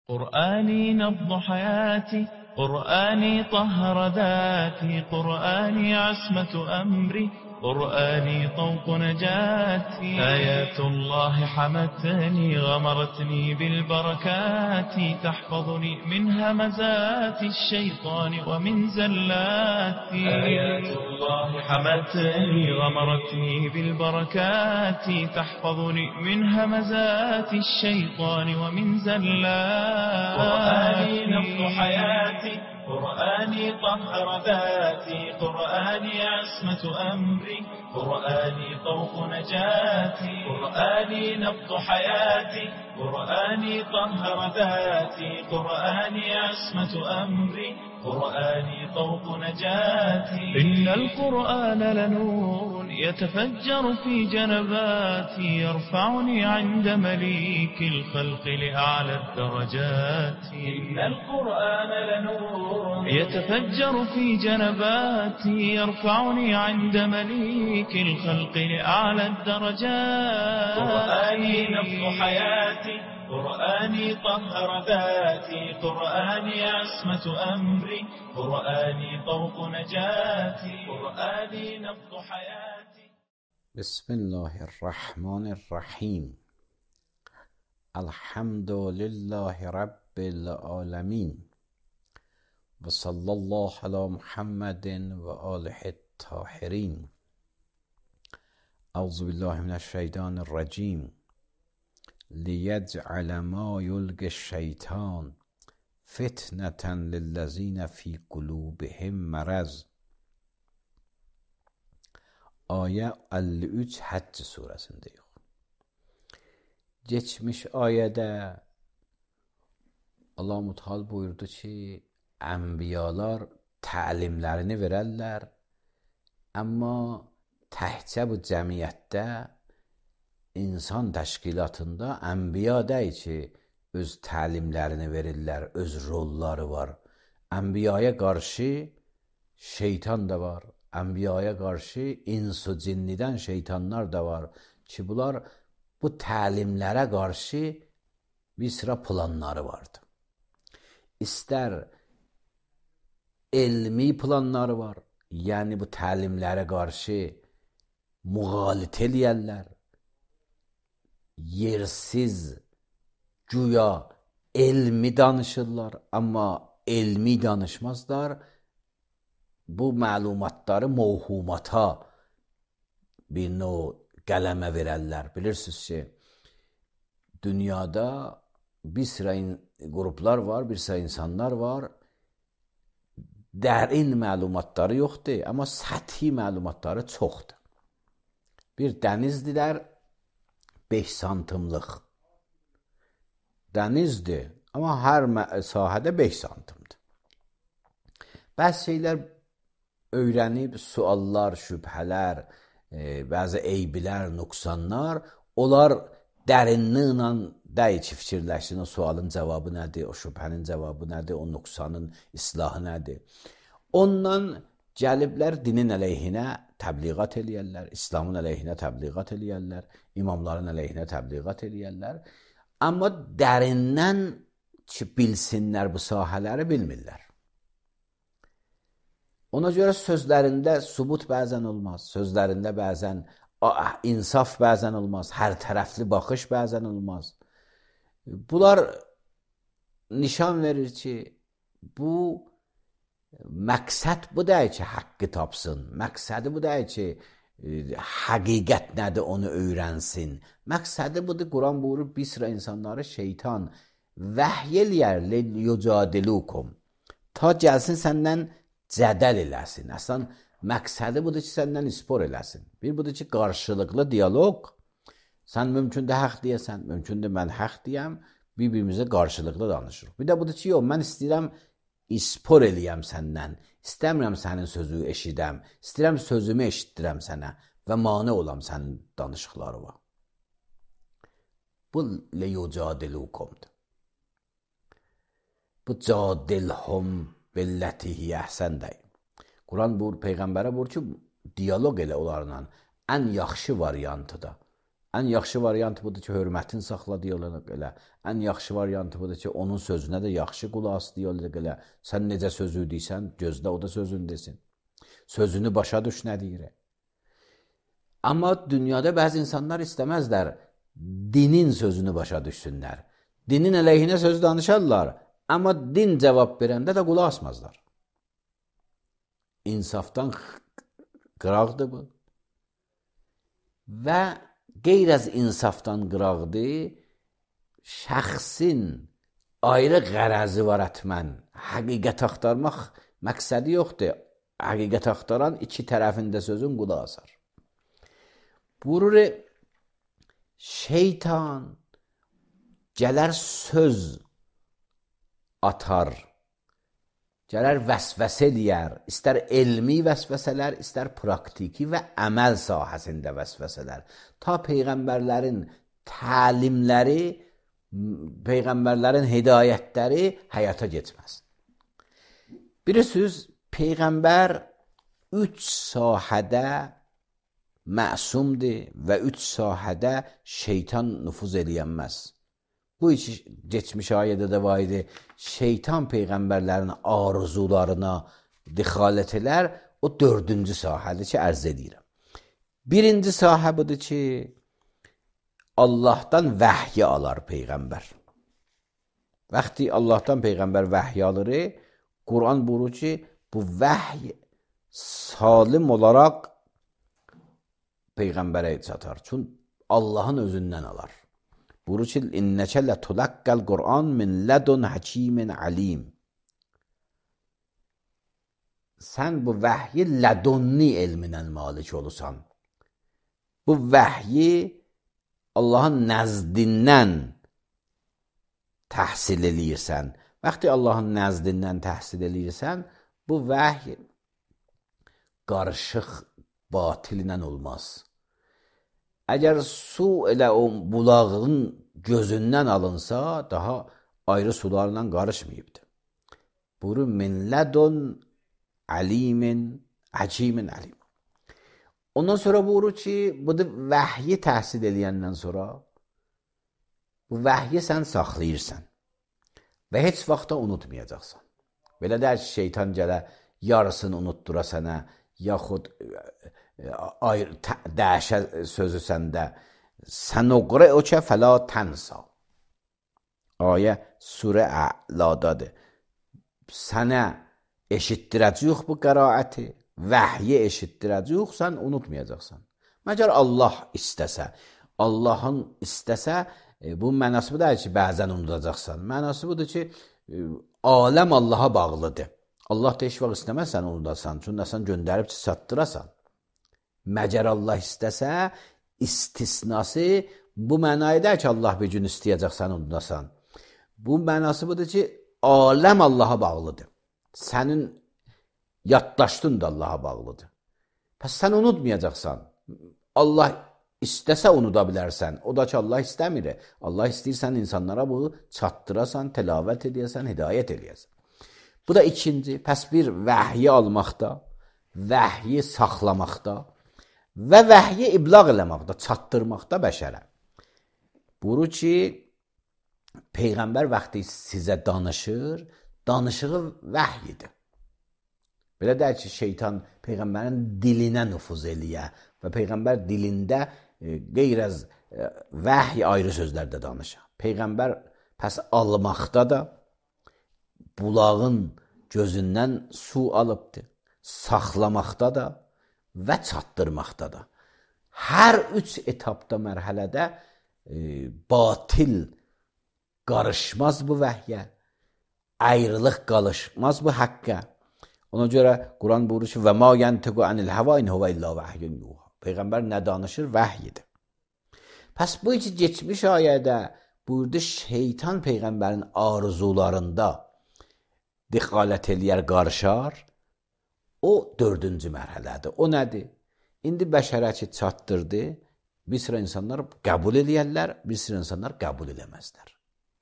قرآني نبض حياتي، قرآني طهر ذاتي، قرآني عصمة أمري، قرآني طوق نجاتي. آيات الله حمتني غمرتني بالبركات، تحفظني من همزات الشيطان ومن زلاتي. آيات الله حمتني غمرتني بالبركات، تحفظني من همزات الشيطان ومن زلاتي. قرآني نبض حياتي، قرآني طهر ذاتي، قرآني عصمة أمري، قرآني طوق نجاتي. قرآني نبض حياتي، قرآني طهر ذاتي، قرآني عصمة أمري، قرآني طوق نجاتي. إن القرآن لنور يتفجر في جنباتي، يرفعني عند مليك الخلق لأعلى الدرجات. إن القرآن لنور يتفجر في جنباتي، يرفعني عند مليك الخلق لأعلى الدرجات. قرآني نبض حياتي، قرآني طهر ذاتي، قرآني عصمة أمري، قرآني طوق نجاتي. قرآني نبض حياتي. بسم الله الرحمن الرحیم. الحمد لله رب العالمین و صلی الله علی محمد و آله الطاهرین. اعوذ بالله من الشیطان الرجیم. لیجعل ما یلقی الشیطان فتنة للذین فی قلوبهم مرض. Ayə 53 Həcc surəsindəyik. Geçmiş ayədə Allah Teala buyurdu ki, ənbiyalar təlimlərini verərlər, amma təhcə bu cəmiyyətdə, insan təşkilatında ənbiya deyil ki, öz təlimlərini verirlər, öz rolları var. Ənbiyaya qarşı şeytan da var. Ənbiyaya qarşı ins-u cinnidən şeytanlar da var ki, bunlar bu təlimlərə qarşı bir sıra planları vardı. İstər elmi planları var, yəni bu təlimlərə qarşı müğalit eləyərlər, yersiz güya elmi danışırlar, amma elmi danışmazlar. Bu məlumatları mövhumata bir növ qələmə verərlər. Bilirsiniz ki, dünyada bir sıra qruplar var, bir sıra insanlar var. Dərin məlumatları yoxdur, amma səthi məlumatları çoxdur. Bir dənizdirlər, 5 santimlik dənizdir, amma hər sahədə 5 santimdir. Bəzi şeylər öyrənib, suallar, şübhələr, bəzi eyblər, nöqsanlar, onlar dərinliklə deyil ki, fikirləşsin, o sualın cavabı nədir, o şübhənin cavabı nədir, o nöqsanın islahı nədir. Ondan gəliblər dinin əleyhinə təbliğat eləyərlər, İslamın əleyhinə təbliğat eləyərlər, imamların əleyhinə təbliğat eləyərlər. Amma dərindən ki, bilsinlər bu sahələri bilmirlər. Ona görə sözlərində sübut bəzən olmaz, sözlərində bəzən insaf bəzən olmaz, hər tərəfli baxış bəzən olmaz. Bunlar nişan verir ki, bu məqsəd bu deyil ki, haqqı tapsın, məqsədi bu deyil ki, həqiqət nədir onu öyrənsin. Məqsədi budur, Quran buyurur, bir sıra insanları şeytan vəhy eləyər liyucadilukum, ta gəlsin səndən cədəl eləsin. Əslən, məqsədi budur ki, səndən ispor eləsin. Bir budur ki, qarşılıqlı diyaloq, sən mümkündə haqq deyəsən, mümkündə mən haqq deyəm, bir-birimizə qarşılıqlı danışırıq. Bir də budur ki, yox, mən istəyirəm ispor eləyəm səndən, istəmirəm sənin sözü eşidəm, istəyirəm sözümü eşitdirəm sənə və mane olam sənin danışıqlarına. Bu liyucadilukumdur. Bu cadilhum billətihi əhsən deyil. Quran buyur, Peyğəmbərə buyur ki, diyaloq elə onlarla ən yaxşı variantıda, Ən yaxşı variant budur ki, hörmətin saxla deyirlər elə. Ən yaxşı variant budur ki, onun sözünə də yaxşı qulaq as deyirlər elə. Sən necə sözü deyirsən, gözlə o da sözünü desin. Sözünü başa düş nə deyir. Amma dünyada bəzi insanlar istəməzlər dinin sözünü başa düşsünlər. Dinin əleyhinə söz danışarlar, amma din cavab verəndə də qulaq asmazlar. İnsafdan qıraqdır bu. Və qeyr az insafdan qıraqdır, şəxsin ayrı qərəzi var ətmən. Həqiqət axtarmaq məqsədi yoxdur. Həqiqət axtaran iki tərəfində sözün qulaq asar. Buyurur, şeytan gələr söz atar, gələr vəsvəsə eləyər, istər elmi vəsvəsələr, istər praktiki və əməl sahəsində vəsvəsələr. Ta peyğəmbərlərin təlimləri, peyğəmbərlərin hidayətləri həyata keçməz. Bilirsiniz, peyğəmbər 3 sahədə məsumdur və 3 sahədə şeytan nüfuz eləyənməz. Bu hiç geçmiş ayədə də var idi. Şeytan peyğəmbərlərin arzularına dixalət elər. O 4-cü sahədir ki, ərz edirəm. Birinci sahə budur ki, Allahdan vəhyi alar peyğəmbər. Vaxtı Allahdan peyğəmbər vəhyi alır, Quran buyurur ki, bu vəhy salim olaraq peyğəmbərə çatar. Çünki Allahın özündən alar. Buyurur ki, İnnəkə lətulaqqəl Qur'an min lədun həkimin alim. Sən bu vəhyi lədunni elminən malik olursan. Bu vəhyi Allahın nəzdindən təhsil eləyirsən. Vaxtı Allahın nəzdindən təhsil eləyirsən, bu vəhy qarışıq batil ilə olmaz. Əgər su elə o bulağın gözündən alınsa, daha ayrı sularla qarışmayıbdır. Buyurur, min lədun alimin, həkimin alim. Ondan sonra buyurur ki, bu da vəhyi təhsil eləyəndən sonra, bu vəhyi sən saxlayırsan və heç vaxtda unutmayacaqsan. Belə deyər ki, şeytan gələ, yarısını unutdura sənə, yaxud dəşə sözü səndə. Sənuqrə o ki, fəla tənsa. Ayə surə Əladadır. Sənə eşitdirəcəyik bu qəraəti, vəhyi eşitdirəcəyik, sən unutmayacaqsan. Məgər Allah istəsə, Allahın istəsə, bu mənası budur ki, bəzən unudacaqsan. Mənası budur ki, aləm Allaha bağlıdır. Allah da heç vaxt istəməz sən unudasan, çünki sən göndərib çatdırasan. Məgər Allah istəsə, istisnası bu mənayda ki, Allah bir gün istəyəcək sən unudasan. Bu mənası budur ki, aləm Allaha bağlıdır. Sənin yaddaşdın da Allaha bağlıdır. Pəs sən unutmayacaqsan. Allah istəsə unuda bilərsən. O da ki, Allah istəmir. Allah istəyirsən insanlara bu çatdırasan, təlavət edəyəsən, hidayət edəyəsən. Bu da ikinci. Pəs bir vəhyi almaqda, vəhyi saxlamaqda və vəhyi iblağ eləməkdə, çatdırmaqda bəşərə. Buyurur ki, Peyğəmbər vaxtı sizə danışır, danışığı vəhyidir. Belə deyək ki, şeytan Peyğəmbərin dilinə nüfuz eləyə və Peyğəmbər dilində qeyr-əz vəhy ayrı sözlərdə danışır. Peyğəmbər pəs almaqda da bulağın gözündən su alıbdır, saxlamaqda da və çatdırmaqda da. Hər 3 etapda, mərhələdə batil qarışmaz bu vəhyə, ayrılıq qarışmaz bu haqqə. Ona görə Quran buyurur ki, və ma yantiqu anil hava in huve illa vahyun yuha. Peyğəmbər nə danışır? Vəhyidir. Pəs bu iki geçmiş ayədə buyurdu, şeytan Peyğəmbərin arzularında dixalət eləyər, qarışar. O 4-cü mərhələdir. O nədir? İndi bəşərə ki, çatdırdı, bir sıra insanlar qəbul eləyərlər, bir sıra insanlar qəbul eləməzlər.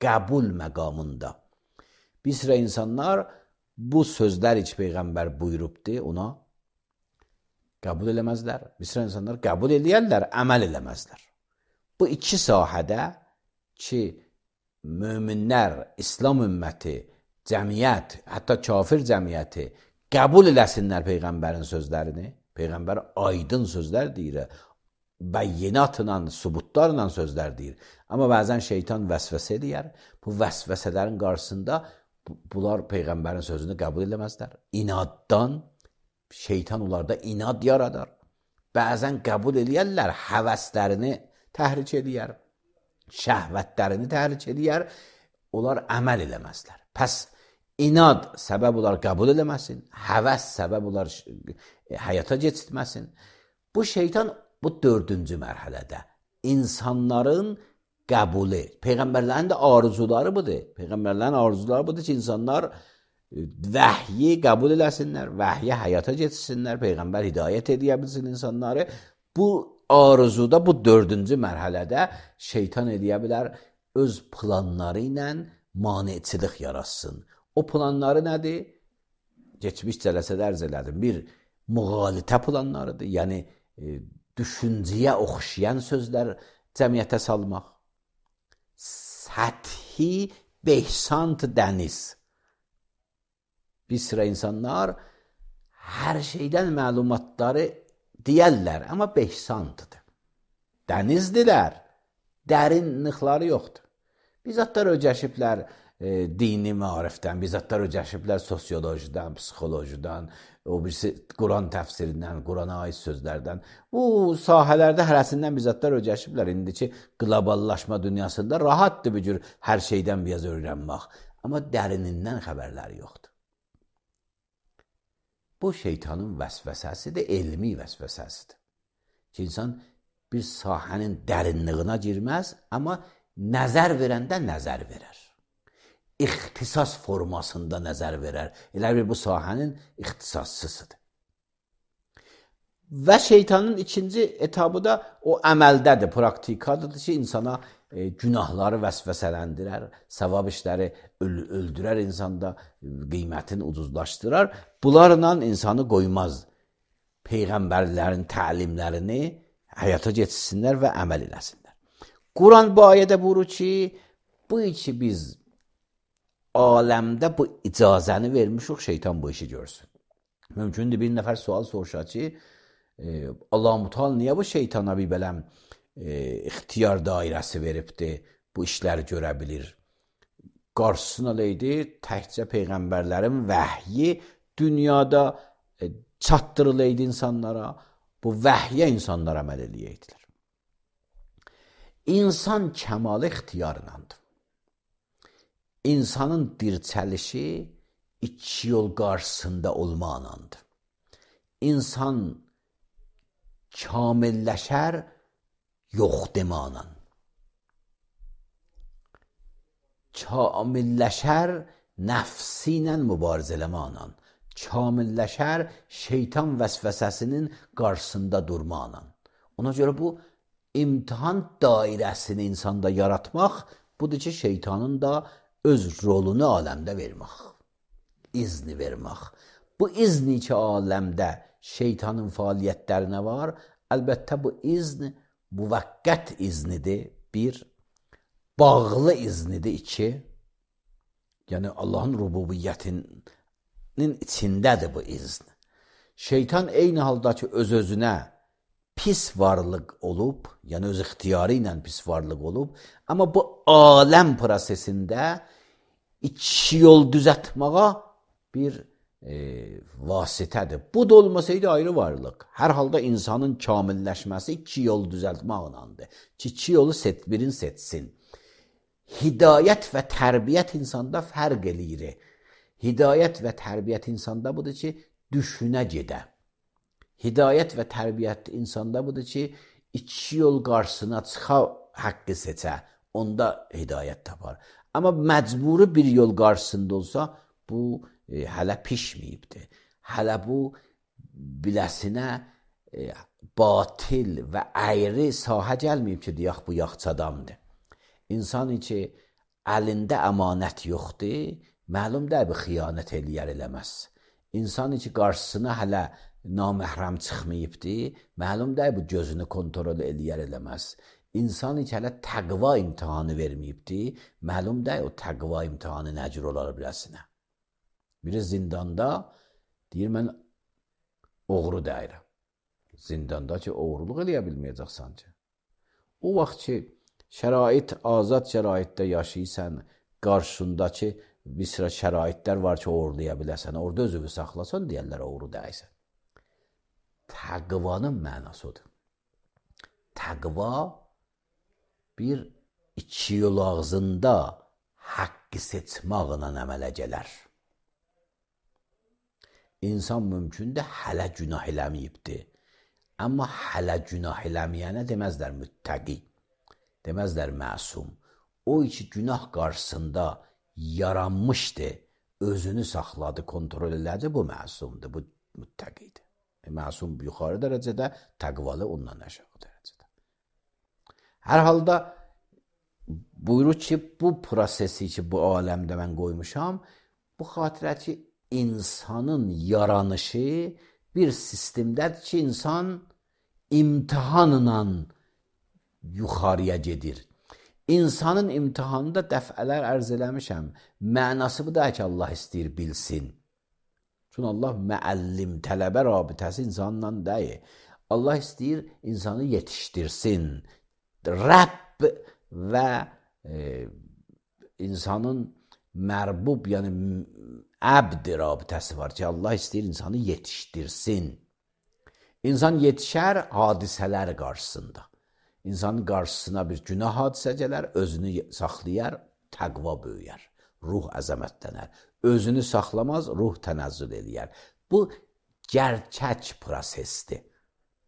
Qəbul məqamında. Bir sıra insanlar bu sözlər ki, Peyğəmbər buyurubdur, ona qəbul eləməzlər. Bir sıra insanlar qəbul eləyərlər, əməl eləməzlər. bu iki sahədə ki, möminlər, İslam ümməti, cəmiyyət, hətta kafir cəmiyyəti qəbul eləsinlər Peyğəmbərin sözlərini, Peyğəmbər aydın sözlər deyir, bəyyinatla, subutlarla sözlər deyir. Amma bəzən şeytan vəsvəsə eləyər. Bu vəsvəsələrin qarşısında bunlar Peyğəmbərin sözünü qəbul eləməzlər. İnaddan şeytan onlarda inad yaradar. Bəzən qəbul eləyərlər, həvəslərini təhrik eləyər, şəhvətlərini təhrik eləyər, onlar əməl eləməzlər. Pəs inad səbəb olar qəbul eləməsin, həvəs səbəb olar həyata keçirtməsin. Bu şeytan bu 4-cü mərhələdə insanların qəbulu, Peyğəmbərlərin də arzuları budur. Peyğəmbərlərin arzuları budur ki, insanlar vəhyi qəbul eləsinlər, vəhyə həyata keçirsinlər, Peyğəmbər hidayət edə bilsin insanları. Bu arzuda, bu 4-cü mərhələdə şeytan edə bilər, öz planları ilə maneçilik yaratsın. O planları nədir? Keçmiş cələsədə ərz elədim. Bir, müğalitə planlarıdır. Yəni, düşüncəyə oxşayan sözlər cəmiyyətə salmaq. Səthi behsant dəniz. Bir sıra insanlar hər şeydən məlumatları deyərlər, amma behsantdır. Dənizdirlər, dərinlikləri yoxdur. Bizzatlar öcəşiblər dini maarifdən, bizzatlar öcəşiblər sosiolojidən, psixolojidən, o birisi Quran təfsirindən, Qurana aid sözlərdən. Bu sahələrdə hərəsindən bizzatlar öcəşiblər. İndiki qloballaşma dünyasında rahatdır bir cür hər şeydən biraz öyrənmək. Amma dərinindən xəbərləri yoxdur. Bu şeytanın vəsvəsəsidir, elmi vəsvəsəsidir. Ki, insan bir sahənin dərinliyinə girməz, amma nəzər verəndə nəzər verər. İxtisas formasında nəzər verər. Elə bir bu sahənin ixtisassızıdır. Və şeytanın ikinci etabı da o əməldədir, praktikadır ki, insana günahları vəsvəsələndirər, savab işləri öldürər insanda, qiymətini ucuzlaşdırar. Bunlarla insanı qoymaz. Peyğəmbərlərin təlimlərini həyata keçirsinlər və əməl eləsinlər. Quran bu ayədə buyurur ki, bu iki biz aləmdə bu icazəni vermişik, şeytan bu işi görsün. Mümkündür bir nəfər sual soruşar ki, Allah-u Teala niyə bu şeytana bir beləm ixtiyar dairəsi veribdir, bu işləri görə bilir. Qarşısına leydi, təkcə Peyğəmbərlərin vəhyi dünyada çatdırılıydı insanlara, bu vəhyə insanlar əməl eləyəydilər. İnsan kəmalı ixtiyarındandır. İnsanın dirçəlişi iki yol qarşısında olmaqlandır. İnsan kamilləşər yox demaqla. Kamilləşər nəfsi ilə mübarizə eləmaqla. Kamilləşər şeytan vəsvəsəsinin qarşısında durmaqla. Ona görə bu imtihan dairəsini insanda yaratmaq, budur ki, şeytanın da öz rolunu aləmdə vermək. İzni vermək. Bu izni ki, aləmdə şeytanın fəaliyyətlərinə var, əlbəttə bu izn müvəqqət iznidir, bir, bağlı iznidir, iki, yəni Allahın rububiyyətinin içindədir bu izn. Şeytan eyni halda ki, öz-özünə pis varlıq olub, yəni öz ixtiyarı ilə pis varlıq olub, amma bu aləm prosesində iki yol düzətməyə bir vasitədir. Bu da olmasaydı ayrı varlıq. Hər halda insanın kamilləşməsi iki yol düzəltməklandır. Ki, iki yolu birini seçsin. Hidayət və tərbiyyət insanda fərq eləyir. Hidayət və tərbiyyət insanda budur ki, düşünə gedə. Hidayət və tərbiyyət insanda budur ki, iki yol qarşısına çıxa haqqı seçə. Onda hidayət tapar. Amma məcburi bir yol qarşısında olsa, bu hələ pişməyibdir. Hələ bu biləsinə batil və əyri sahə gəlməyib ki, deyək bu yaxçadamdır. İnsan ki, əlində əmanət yoxdur, məlum deyil bu xiyanət eləyər eləməz. İnsan ki, qarşısına hələ naməhrəm çıxmayıbdır, məlum deyil bu gözünü kontrol eləyər eləməz. İnsan hiç hələ təqva imtihanı verməyibdi. Məlum deyil o təqva imtihanı nə cür olar biləsinə. Biri zindanda deyir mən oğru deyirəm. Zindanda ki oğruluq eləyə bilməyəcəksən ki. O vaxt ki şərait, azad şəraitdə yaşayırsan, qarşındakı bir sıra şəraitlər var ki oğurlaya biləsən. Orada özünü saxlasan deyərlər oğru deyirsən. Təqvanın mənası odur. Təqva bir iki yol ağzında haqqı seçmaqla əmələ gələr. İnsan mümkündür hələ günah eləməyibdir. Amma hələ günah eləməyənə deməzlər müttəqi, deməzlər məsum. O iki günah qarşısında yaranmışdı, özünü saxladı, kontrol elədi, bu məsumdur, bu müttəqidir. Məsum yuxarı dərəcədə, təqvalı ondan aşağı dərəcədə. Hər halda buyurur ki, bu prosesi ki, bu aləmdə mən qoymuşam, bu xatirə ki, insanın yaranışı bir sistemdədir ki, insan imtihanla yuxarıya gedir. İnsanın imtihanında dəfələr ərz eləmişəm, mənası bu da ki, Allah istəyir bilsin. Çünki Allah müəllim, tələbə rabitəsi insanla deyil. Allah istəyir insanı yetişdirsin. Rəbb və insanın mərbub, yəni əbd rabitəsi var ki, Allah istəyir insanı yetişdirsin. İnsan yetişər hadisələr qarşısında. İnsanın qarşısına bir günah hadisə gələr, özünü saxlayar, təqva böyüyər, ruh əzəmətlənər. Özünü saxlamaz, ruh tənəzzül eləyər. Bu gerçək prosesdir.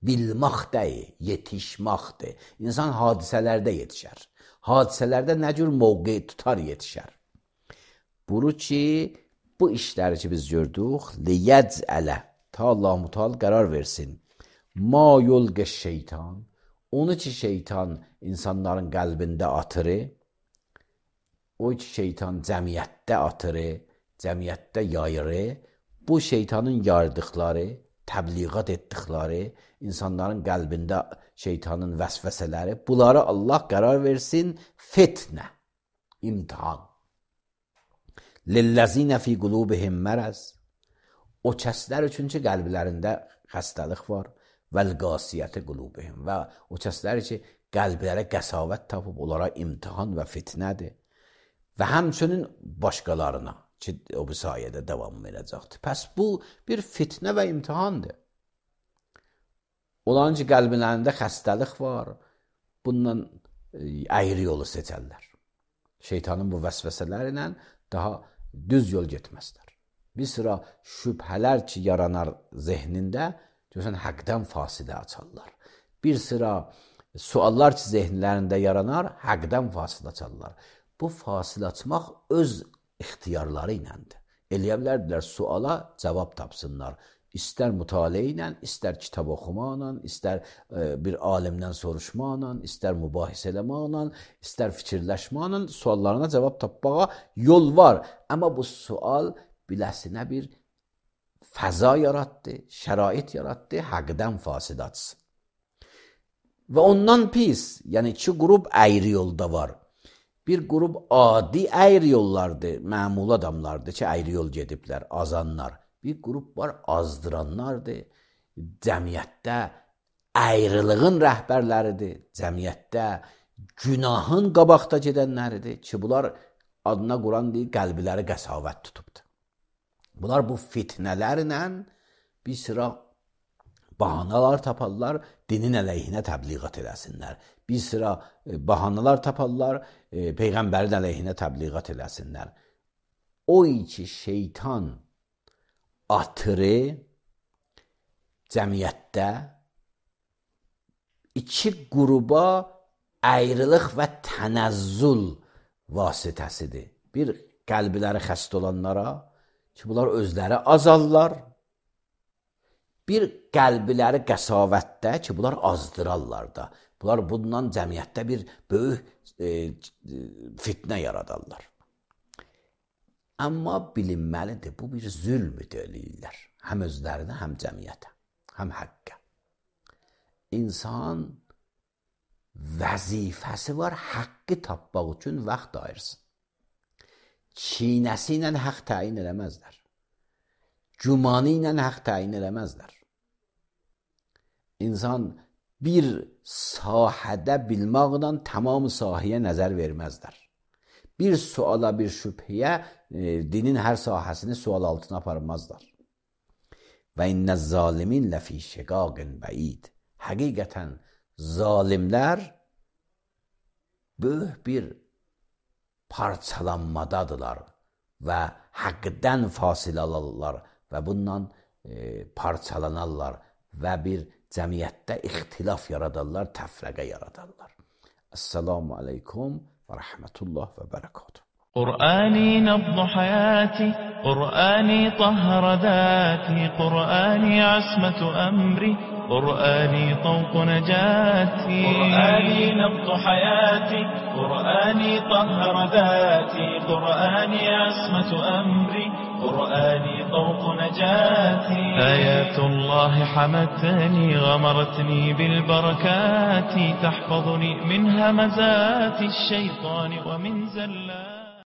Bilmək deyil, yetişməkdir. İnsan hadisələrdə yetişər. Hadisələrdə nə cür mövqe tutar yetişər. Buru ki, bu işləri ki biz gördük, liyəcələ, ta Allah-u Teala qərar versin. Ma yulqə şeytan, onu ki şeytan insanların qəlbində atırı, o ki şeytan cəmiyyətdə atırı, cəmiyyətdə yayırı, bu şeytanın yardıqları, təbliğat etdikləri, insanların qəlbində şeytanın vəsvəsələri, bunları Allah qərar versin fitnə, imtihan. Lilləzinə fi qulubihim mərəz, o kəslər üçün ki qəlblərində xəstəlik var, vəl-qasiyyəti qulubihim, və o kəslər ki qəlblərə qəsavət tapıb, onlara imtihan və fitnədir və həmçinin başqalarına ki, o bu sayədə davam edəcəkdir. Pəs bu bir fitnə və imtihandır. Olan ki, qəlblərində xəstəlik var, bundan əyri yolu seçərlər. Şeytanın bu vəsvəsələri ilə daha düz yol getməzlər. Bir sıra şübhələr ki, yaranar zehnində, görürsən, həqdən fasilə açarlar. Bir sıra suallar ki, zehnlərində yaranar, həqdən fasilə açarlar. Bu fasilə açmaq öz ixtiyarları iləndir. Eləyə bilərdilər, suala cavab tapsınlar. İstər mütaliə ilə, istər kitab oxumaqla, istər bir alimdən soruşmaqla, istər mübahisə eləmaqla, istər fikirləşmaqla suallarına cavab tapmağa yol var. Amma bu sual biləsinə bir fəza yaratdı, şərait yaratdı, həqdən fasilə açsın. Və ondan pis, yəni iki qrup əyri yolda var. Bir qrup adi əyri yollardır, məmul adamlardır ki, əyri yol gediblər, azanlar. Bir qrup var, azdıranlardır, cəmiyyətdə əyriliğin rəhbərləridir, cəmiyyətdə günahın qabaqda gedənləridir ki, bunlar adına Quran deyil, qəlbiləri qəsavət tutubdur. Bunlar bu fitnələrlə bir sıra bahanalar taparlar, dinin əleyhinə təbliğat eləsinlər. Bir sıra bahanalar taparlar, Peyğəmbərin əleyhinə təbliğat eləsinlər. O ki şeytan atırı cəmiyyətdə iki qruba əyriliq və tənəzzül vasitəsidir. Bir qəlbləri xəst olanlara ki, bunlar özləri azarlar. Bir qəlbləri qəsavətdə ki, bunlar azdırarlar da. Bunlar bundan cəmiyyətdə bir böyük fitnə yaradarlar. Amma bilinməlidir, bu bir zülmü deyirlər. Həm özlərinə, həm cəmiyyətə, həm həqqə. İnsan vəzifəsi var, haqqı tapmaq üçün vaxt ayırsın. Çiynəsi ilə haqq təyin eləməzlər. Gümanı ilə haqq təyin eləməzlər. İnsan bir sahədə bilmaqla tamam sahəyə nəzər verməzlər. Bir suala, bir şübhəyə dinin hər sahəsini sual altına aparmazlar. Və innəz zalimin ləfi şiqaqin bəid. Həqiqətən zalimlər böyük bir parçalanmadadılar və haqqdan fasilə alırlar və bundan parçalanarlar və bir cəmiyyətdə ixtilaf yaradarlar, təfrəqə yaradarlar. Esselamu aleykum və rəhmətullah və bərəkatuhu. قرآني نبض حياتي، قرآني طهر ذاتي، قرآني عصمة أمري، قرآني طوق نجاتي. قرآني نبض حياتي، قرآني طهر ذاتي، قرآني عصمة أمري، قرآني طوق نجاتي. آيات الله حمتني، غمرتني بالبركات، تحفظني من همزات الشيطان ومن زلات